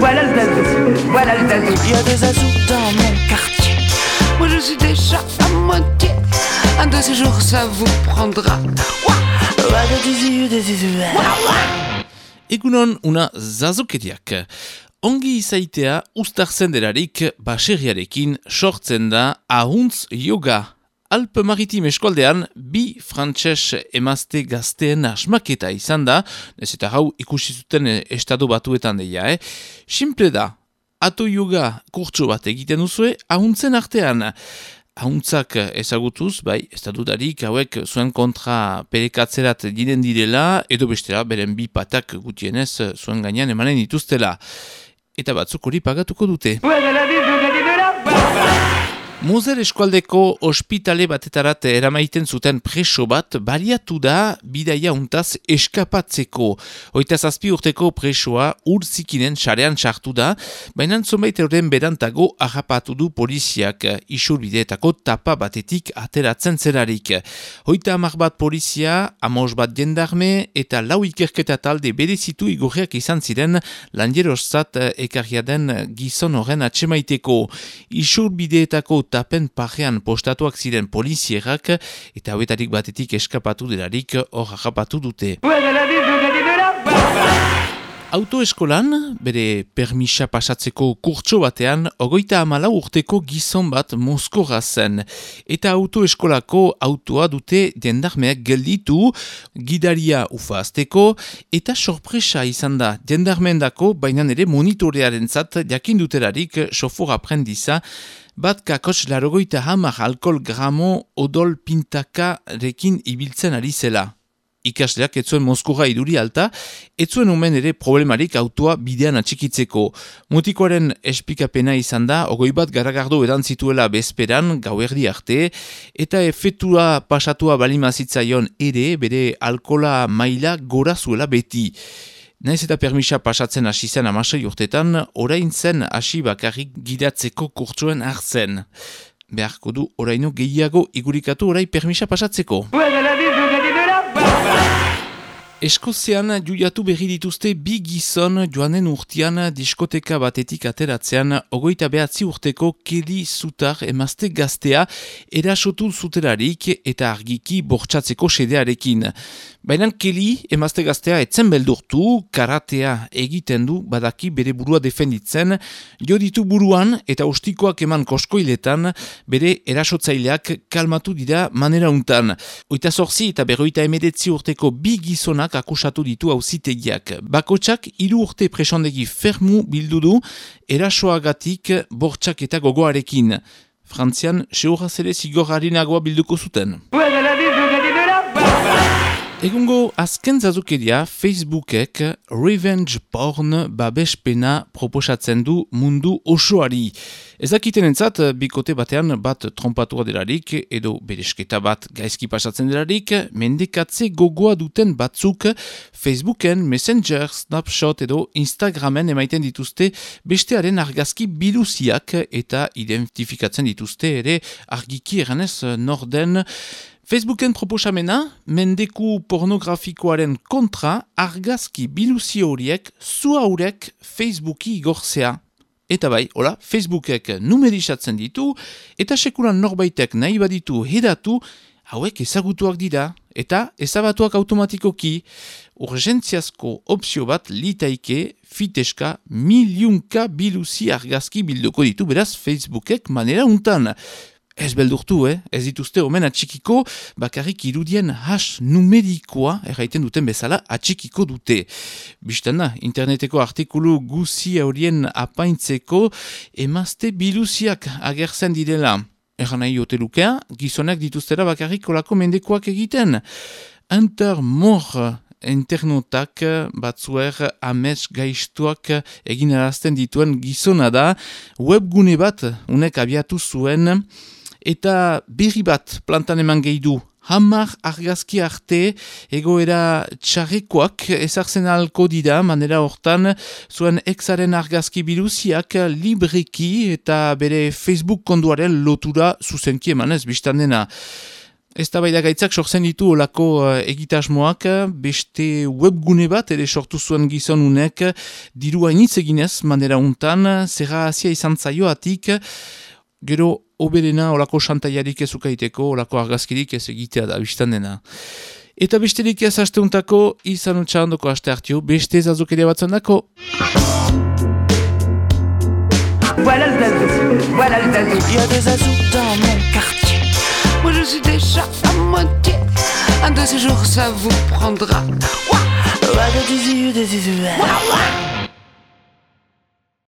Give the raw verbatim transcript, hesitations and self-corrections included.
Voilà le zazou, voilà le zazou. Il y a des zazous dans mon quartier. Moi je suis déjà à moitié. Un de ces jours ça vous prendra. Egunon una zazukeriak. Ongi izaitea uztartzen delarik baserriarekin sortzen da ahuntz yoga. Alpe Maritim eskoldean bi frantses emazte gazteen asmaketa izan da, ez eta hau ikusi zuten estado batuetan deia, eh? Simple da, ato yoga kurtso bat egiten duzue ahuntzen artean. Ahuntzak ezagutuz, bai, ez da dudarik hauek zuen kontra perekatzerat diren direla, edo bestela beren bi patak gutienez zuen gainean emanen dituztela. Eta batzuk hori pagatuko dute. Moser eskualdeko ospitale batetarat eramaiten zuten preso bat baliatu da bidaia untaz eskapatzeko. Hoita zazpi urteko presoa urzikinen sarean sartu da, baina zonbait euren berantago harrapatu du poliziak isurbideetako tapa batetik ateratzen zelarik. Hoita hamar bat polizia, amos bat jendarme eta lau ikerketa talde berezitu igorriak izan ziren lanjerozat ekarria den gizon horren atsemaiteko. Isurbideetako tapen parean postatuak ziren polizierak eta hauetarik batetik eskapatu delarik hor harrapatu dute. Autoeskolan, bere permisa pasatzeko kurtso batean, ogoita hamalau urteko gizon bat Moskorra zen. Eta autoeskolako autoa dute jendarmeak gelditu, gidaria ufaazteko, eta sorpresa izan da jendarmeendako, baina ere monitorearen zat jakin dutelarik sofor aprendiza, bat kakotx larogoita hamar alkohol gramo odol pintaka rekin ibiltzen ari zela. Ikasleak etzuen Moskorra iduri alta, etzuen omen ere problemarik autoa bidean atxikitzeko. Mutikoaren esplikapena izan da, ogoi bat garagardo edan zituela bezperan, gauerdi arte, eta efektua pasatua balimazitzaion ere, bere alkola maila gora zuela beti. Naiz eta permisa pasatzen hasi zen amasei urtetan, orain zen hasi bakarrik gidatzeko kurtsuen hartzen. Beharko du oraino gehiago igurikatu orai permisa pasatzeko. Eskozian juiatu berri dituzte bi gizon joanen urtean diskoteka batetik ateratzean ogoita behatzi urteko Kelly Zutar emazte gaztea erasotu zutelarik eta argiki bortxatzeko sedearekin. Baina Kelly emazte gaztea etzen beldurtu, karatea egiten du badaki bere burua defenditzen, jo ditu buruan eta ostikoak eman koskoiletan bere erasotzaileak kalmatu dira manera untan. Oita zorzi eta berroita emedetzi urteko bi gizonak akusatu ditu auzitegiak. Bakotsak hiru urte presondegi fermu bildu du erasoagatik bortxak eta gogoarekin. Frantzian, seuraz ere zigor harinagoa bilduko zuten. Egungo azken zazukeria Facebookek revenge porn babespena proposatzen du mundu osoari. Ezakiten entzat, bikote batean bat trompatua delarik edo beresketa bat gaizki pasatzen delarik, mendekatze gogoa duten batzuk Facebooken, Messenger, Snapchat edo Instagramen emaiten dituzte bestearen argazki biluziak eta identifikatzen dituzte ere argiki eranez norden. Facebooken proposamena, mendeku pornografikoaren kontra argazki biluzi horiek zu haurek Facebooki igortzea. Eta bai, hola, Facebookek numerizatzen ditu, eta sekuran norbaitek nahi baditu hedatu, hauek ezagutuak dira, eta ezabatuak automatikoki. Urgentziazko opzio bat litaike fiteska miliunka biluzi argazki bilduko ditu, beraz Facebookek manera untan. Ez beldurtu, eh? Ez dituzte omen atxikiko, bakarrik irudien hash numerikoa, erraiten duten bezala, atxikiko dute. Bistan da, interneteko artikulu guzi horien apaintzeko, emazte biluziak agertzen direla. Erran nahi hotelukea, gizonak dituztera bakarrik olako mendekoak egiten. Hunter Moore internautak batzuer amets gaiztuak egin arazten dituen gizona da, webgune bat unek abiatu zuen, eta berri bat plantan eman gehi du. Hamar argazki arte egoera txarrekoak ezartzen alko dira, manera hortan zuen exaren argazki biluziak libreki eta bere Facebook konduaren lotura zuzenki emanez biztan dena. Eztabaida gaitzak sortzen ditu olako uh, egitasmoak, beste webgune bat ere sortu zuen gizon unek, diru hainitz eginez manera untan, zerra hasia izan zaioatik, gero oberena olako xantaiarik ez ukaiteko, olako argazkirik ez egitea da biztan dena. Eta besterik ez asteuntako, izan utxarandoko aste hartio, beste zazokeria batzen dako. Voilà le zazou, voilà le zazou. Il y a des azous dans mon quartier. Moi je suis déjà à moitié. Un de ces jours ça vous prendra. Ouah, ouah, des yeux, des yeux. Ouah, ouah.